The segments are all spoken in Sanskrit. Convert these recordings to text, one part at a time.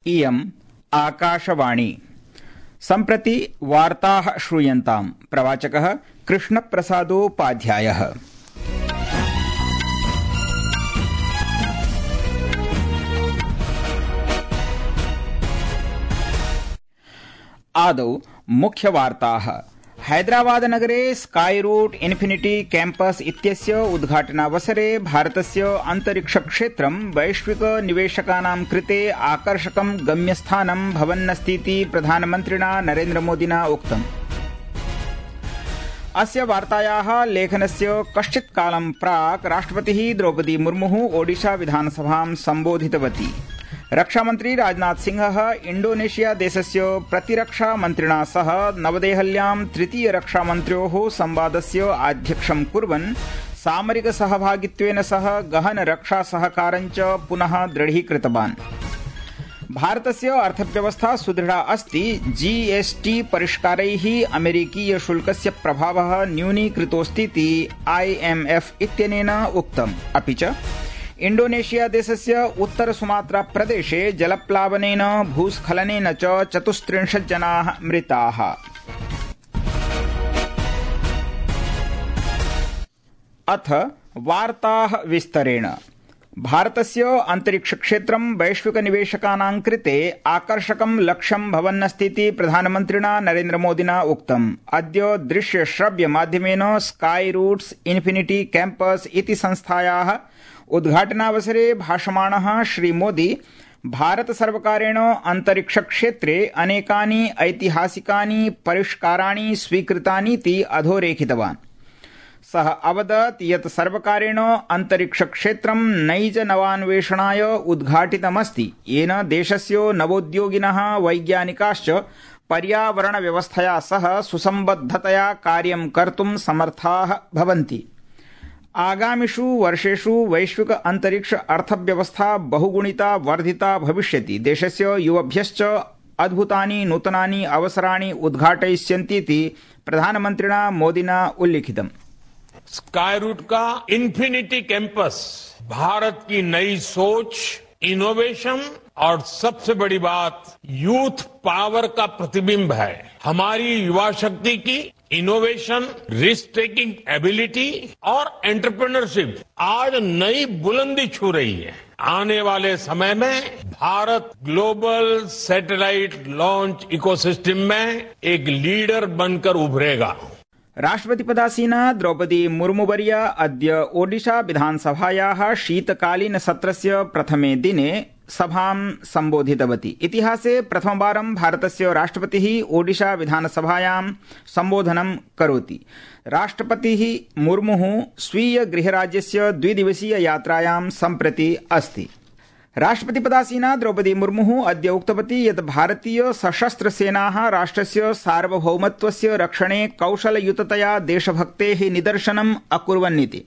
इयम् आकाशवाणी। सम्प्रति वार्ताः श्रूयन्ताम्। प्रवाचकः कृष्णप्रसादोपाध्यायः। आदौ मुख्यवार्ताः। हैदराबादनगरे स्काईरूट इन्फिनिटी कैंपस इत्यस्य उद्घाटनावसरे भारतस्य अन्तरिक्षक्षेत्रं वैश्विक निवेशकानां कृते आकर्षकं गम्यस्थानं भवन्नस्तीति प्रधानमन्त्रिणा नरेन्द्रमोदिना उक्तम्। अस्य वार्तायाः लेखनस्य कश्चित् कालं प्राक् राष्ट्रपतिः द्रौपदी मुर्मुः ओडिशा विधानसभां सम्बोधितवती। रक्षामन्त्री राजनाथ सिंहः इंडोनेशिया देशस्य प्रतिरक्षा मन्त्रिणा सह नवदेहल्यां तृतीय रक्षामन्त्र्योः संवादस्य आध्यक्षं कुर्वन् सामरिक सहभागित्वेन सह गहन रक्षा सहकारं च पुनः दृढीकृतवान्। भारतस्य अर्थव्यवस्था सुदृढा अस्ति। जीएसटी परिष्कारैः अमेरिकीय शुल्कस्य प्रभावः न्यूनीकृतोऽस्तीति IMF इत्यनेन उक्तम्। अपि च इंडोनेशिया देशस्य उत्तर सुमात्रा प्रदेशे जलप्लावनेन भूस्खलनेन च 34 जनाः मृताः। अथ वार्ताः विस्तरेण। भारतस्य अन्तरिक्षक्षेत्रं वैश्विकनिवेशकानां कृते आकर्षकं लक्ष्यं भवन्नस्तीति प्रधानमन्त्रिणा नरेन्द्रमोदिना उक्तम्। अद्य दृश्यश्रव्यमाध्यमेन स्काईरूट्स इन्फिनिटी कैंपस इति संस्थायाः उद्घाटनावसरे भाषमाणः श्रीमोदी भारतसर्वकारेण अन्तरिक्षक्षेत्रे अनेकानि ऐतिहासिकानि परिष्काराणि स्वीकृतानीति अधोरेखितवान्। सः अवदत् यत् सर्वकारेण अन्तरिक्षक्षेत्रं नैजनवान्वेषणाय उद्घाटितमस्ति, येन देशस्य नवोद्योगिनः वैज्ञानिकाश्च पर्यावरणव्यवस्थया सह सुसम्बद्धतया कार्यं कर्तुं समर्थाः भवन्ति। आगामिषु वर्षेषु वैश्विक अंतरिक्ष अर्थव्यवस्था बहुगुणिता वर्धिता भविष्यति। देशस्य युवभ्यश्च अद्भुतानि नूतनानि अवसराणि उद्घाटयिष्यन्तीति प्रधानमन्त्रिणा मोदिना उल्लिखितम्। स्काईरूट का इन्फिनिटी कैंपस भारत की नई सोच, इनोवेशन और सबसे बड़ी बात यूथ पावर का प्रतिबिंब है। हमारी युवा शक्ति की इनोवेशन, रिस्क टेकिंग एबिलिटी और एंटरप्रेन्योरशिप आज नई बुलंदी छू रही है। आने वाले समय में Bharata global satellite launch ecosystem में एक लीडर बनकर उभरेगा। राष्ट्रपतिपदासीना द्रौपदी मुर्मुवर्या अद्य ओडिशा विधानसभायाः शीतकालीन सत्रस्य प्रथमे दिने सभां सम्बोधितवती। इतिहासे प्रथमवारं भारतस्य राष्ट्रपतिः ओडिशा विधानसभायां सम्बोधनं करोति। राष्ट्रपतिः मुर्मुः स्वीय गृहराज्यस्य द्विदिवसीय यात्रायां सम्प्रति अस्ति। राष्ट्रपतिपदासीना द्रौपदी मुर्मुः अद्य उक्तवती यत् भारतीय सशस्त्र सेनाः राष्ट्रस्य सार्वभौमत्वस्य रक्षणे कौशलयुततया देशभक्तेः निदर्शनम् अकुर्वन्निति।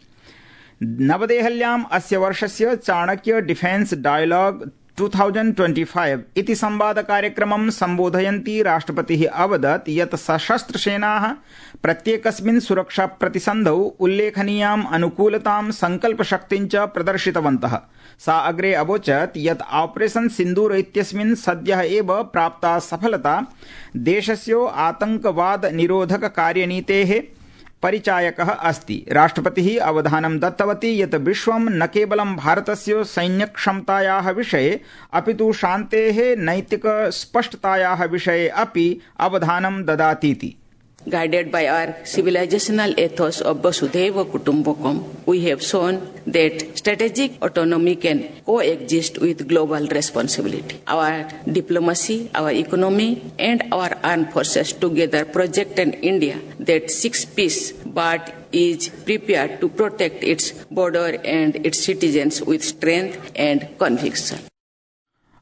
नवदेहल्याम् अस्य वर्षस्य चाणक्य डिफेन्स डायलॉग 2025 इति संवादकार्यक्रमं सम्बोधयन्ती राष्ट्रपतिः अवदत् यत् सशस्त्रसेनाः प्रत्येकस्मिन् सुरक्षाप्रतिसन्धौ उल्लेखनीयाम् अनुकूलतां संकल्पशक्तिं च प्रदर्शितवन्तः। सा अग्रे अवोचत् यत् ऑपरेशन सिन्दूर इत्यस्मिन् सद्यः एव प्राप्ता सफलता देशस्य आतंकवाद निरोधक कार्यनीतेः परिचायकः अस्ति। राष्ट्रपतिः अवधानं दत्तवती यत् विश्वं न केवलं भारतस्य सैन्यक्षमतायाः विषये अपितु शान्तेः नैतिक स्पष्टतायाः विषये अपि अवधानं ददातीति। Guided by our civilizational ethos of Vasudhaiva Kutumbakam, we have shown that strategic autonomy can coexist with global responsibility. Our diplomacy, our economy, and our armed forces together project an India that seeks peace but is prepared to protect its border and its citizens with strength and conviction.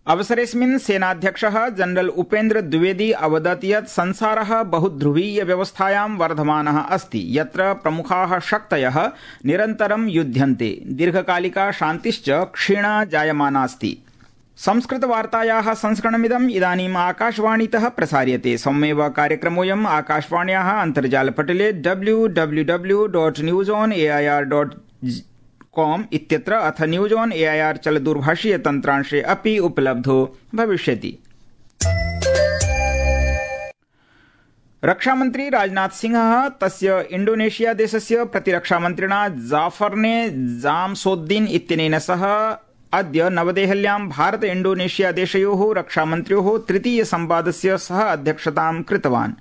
अवसरेऽस्मिन् सेनाध्यक्षः जनरल उपेन्द्र द्विवेदी अवदत् यत् संसारः बहुध्रुवीय व्यवस्थायां वर्धमानः अस्ति, यत्र प्रमुखाः शक्तयः निरन्तरं युध्यन्ते। दीर्घकालिका शान्तिश्च क्षीणा जायमानास्ति। संस्कृतवार्तायाः संस्करणमिदम् इदानीम् आकाशवाणीतः प्रसार्यते। सम्मेव कार्यक्रमोऽयम् आकाशवाण्याः अन्तर्जालपटले www.newsonair कॉम इत्यत्र अथ न्यूज ऑन एआईआर चलदूरभाषीय तन्त्रांशे अपि उपलब्धो भविष्यति। रक्षामन्त्री राजनाथ सिंहः तस्य इंडोनेशिया देशस्य प्रतिरक्षामन्त्रिणा जाफरने जामसोद्दीन इत्यनेन सह अद्य नवदेहल्यां भारत इंडोनेशिया देशयोः रक्षामन्त्र्योः तृतीय संवादस्य सह अध्यक्षतां कृतवान्।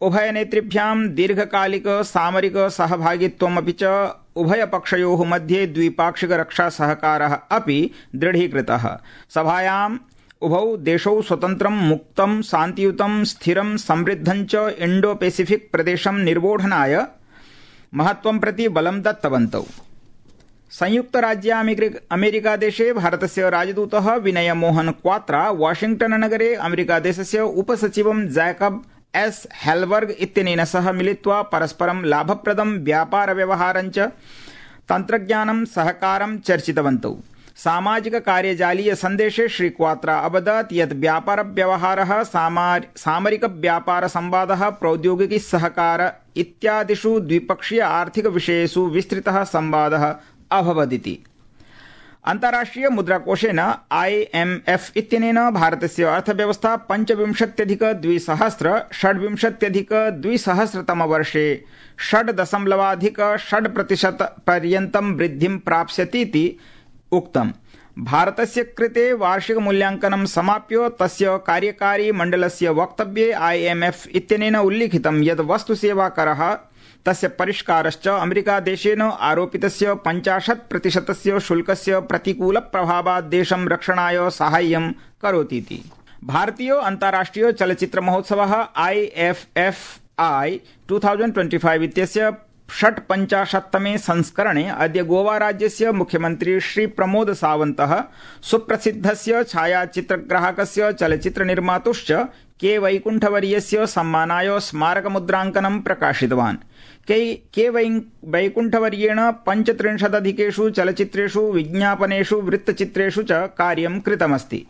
उभयनेतृभ्यां दीर्घकालिक सामरिक सहभागित्वमपि च उभयपक्षयोः मध्ये द्विपाक्षिक रक्षा सहकारः अपि दृढीकृतः। सभायाम् उभौ देशौ स्वतन्त्रं मुक्तं शान्तियुतं स्थिरं समृद्धं च इण्डो पेसिफिक प्रदेशं निर्वोढनाय महत्वं प्रति बलं दत्तवन्तौ। संयुक्त राज्य अमेरिका देशे भारतस्य राजदूतः विनय मोहन क्वात्रा वाशिंगटन नगरे अमेरिका देशस्य उपसचिवं जैकब एस हेल्बर्ग इत्यनेन सह मिलित्वा परस्परं लाभप्रदं व्यापार व्यवहारं च तन्त्रज्ञानं सहकारं चर्चितवन्तौ। सामाजिक कार्यजालीय संदेशे श्री क्वात्रा अवदत् यत् व्यापार व्यवहारः सामरिक व्यापार संवादः प्रौद्योगिकी सहकार इत्यादिषु द्विपक्षीय आर्थिक विषयेषु विस्तृतः संवादः अभवदिति। अन्ताराष्ट्रिय मुद्राकोषेन IMF इत्यनेन भारतस्य अर्थव्यवस्था 25,200 षड्विंशत्यधिक-द्विसहस्रतमवर्षे 6.6% पर्यन्तं वृद्धिं प्राप्स्यतीति उक्तम्। भारतस्य कृते वार्षिक मूल्यांकनं समाप्य तस्य कार्यकारी मण्डलस्य वक्तव्ये IMF इत्यनेन उल्लिखितं यत् वस्तुसेवाकरः तस्य परिष्कारश्च अमेरिकादेशेन आरोपितस्य 50% शुल्कस्य प्रतिकूल प्रभावात् देशं रक्षणाय साहाय्यं करोतीति। भारतीय अन्ताराष्ट्रिय चलच्चित्र महोत्सवः IFFI 2025 इत्यस्य 56तमे संस्करणे अद्य गोवा राज्यस्य मुख्यमन्त्री श्री प्रमोद सावन्तः सुप्रसिद्धस्य छायाचित्रग्राहकस्य चलच्चित्रनिर्मातुश्च के वैकुण्ठवर्यस्य सम्मानाय स्मारकमुद्राङ्कनं प्रकाशितवान्। के वैकुण्ठवर्येण 35 चलच्चित्रेषु विज्ञापनेषु वृत्तचित्रेषु च कार्यं कृतमस्ति।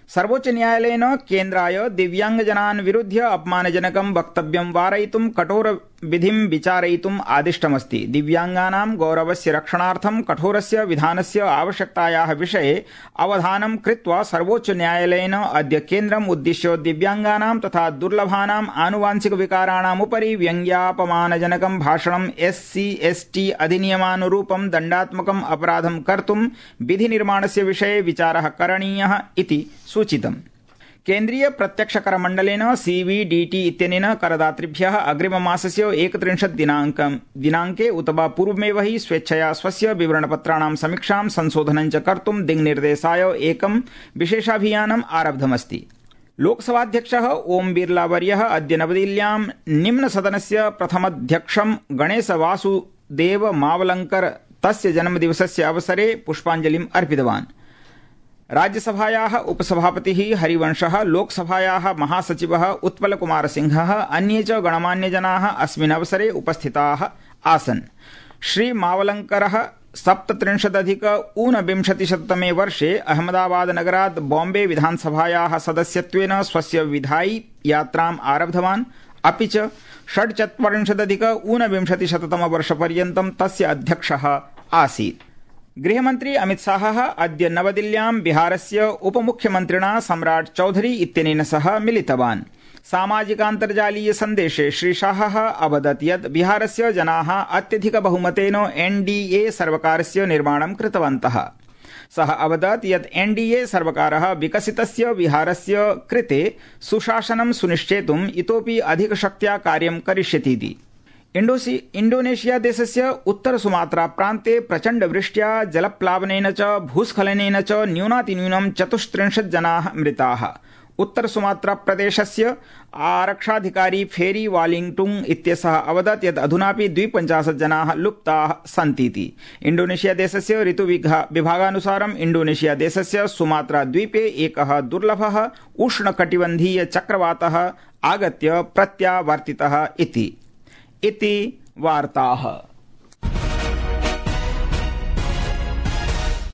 सर्वोच्च न्यायालयेन केन्द्राय दिव्यांगजनान् विरुध्य अपमानजनकं वक्तव्यं वारयितुं कठोर विधिं विचारयितुम् आदिष्टमस्ति। दिव्यांगानां गौरवस्य रक्षणार्थं कठोरस्य विधानस्य आवश्यकतायाः विषये अवधानं कृत्वा सर्वोच्च न्यायालयेन अद्य केन्द्रम् उद्दिश्य दिव्यांगानां तथा दुर्लभानाम् आनुवांशिक विकाराणाम् उपरि व्यङ्ग्यापमानजनकं भाषणं SC/ST अधिनियमानुरूपं दण्डात्मकम् अपराधं कर्तुं विधिनिर्माणस्य विषये विचारः करणीयः इति सूचितम्। केन्द्रीय प्रत्यक्षकर मण्डलेन CBDT इत्यनेन करदातृभ्यः अग्रिममासस्य 31 दिनाङ्के उत वा पूर्वमेव हि स्वेच्छया स्वस्य विवरणपत्राणां समीक्षां संशोधनं च कर्तुं दिङ्निर्देशाय एकं विशेषाभियानम् आरब्धमस्ति। लोकसभाध्यक्षः ओम बिर्लावर्यः अद्य नवदिल्ल्यां निम्नसदनस्य प्रथमाध्यक्षं गणेश वासुदेव मावलंकर तस्य जन्मदिवसस्य अवसरे पुष्पाञ्जलिम् अर्पितवान्। राज्यसभायाः उपसभापतिः हरिवंशः, लोकसभायाः महासचिवः उत्पलकुमार सिंहः, अन्ये च गणमान्यजनाः अस्मिन् अवसरे उपस्थिताः आसन्। श्री मावलंकरः 37-ऊनविंशतिशततमे वर्षे अहमदाबाद नगरात् बॉम्बे विधानसभायाः सदस्यत्वेन स्वस्य विधायि यात्राम् आरब्धवान्, अपि च 46-ऊनविंशतिशततमवर्षपर्यन्तं तस्य अध्यक्षः आसीत्। गृहमन्त्री अमित शाहः अद्य नवदिल्ल्यां बिहारस्य उपमुख्यमन्त्रिणा सम्राट चौधरी इत्यनेन सह मिलितवान्। सामाजिकान्तर्जालीय सन्देशे श्री शाहः अवदत् यत् बिहारस्य जनाः अत्यधिक बहुमतेन NDA सर्वकारस्य निर्माणं कृतवन्तः। सः अवदत् यत् NDA सर्वकारः विकसितस्य बिहारस्य कृते सुशासनं सुनिश्चेतुम् इतोपि अधिकशक्त्या कार्यं करिष्यतीति। इंडोनेशिया देशस्य उत्तर सुमात्रा प्रान्ते प्रचण्ड वृष्ट्या जलप्लावनेन च भूस्खलनेन च न्यूनातिन्यूनं 34 जनाः मृताः। उत्तर सुमात्रा प्रदेशस्य आरक्षाधिकारी फेरी वालिंगटुंग इत्यसः अवदत् यत् अधुनापि 52 जनाः लुप्ताः सन्तीति। इंडोनेशिया देशस्य ऋतुविभागानुसारं इंडोनेशिया देशस्य सुमात्रा द्वीपे एकः दुर्लभः उष्णकटिबन्धीय चक्रवातः आगत्य प्रत्यावर्तितः इति वार्ताः।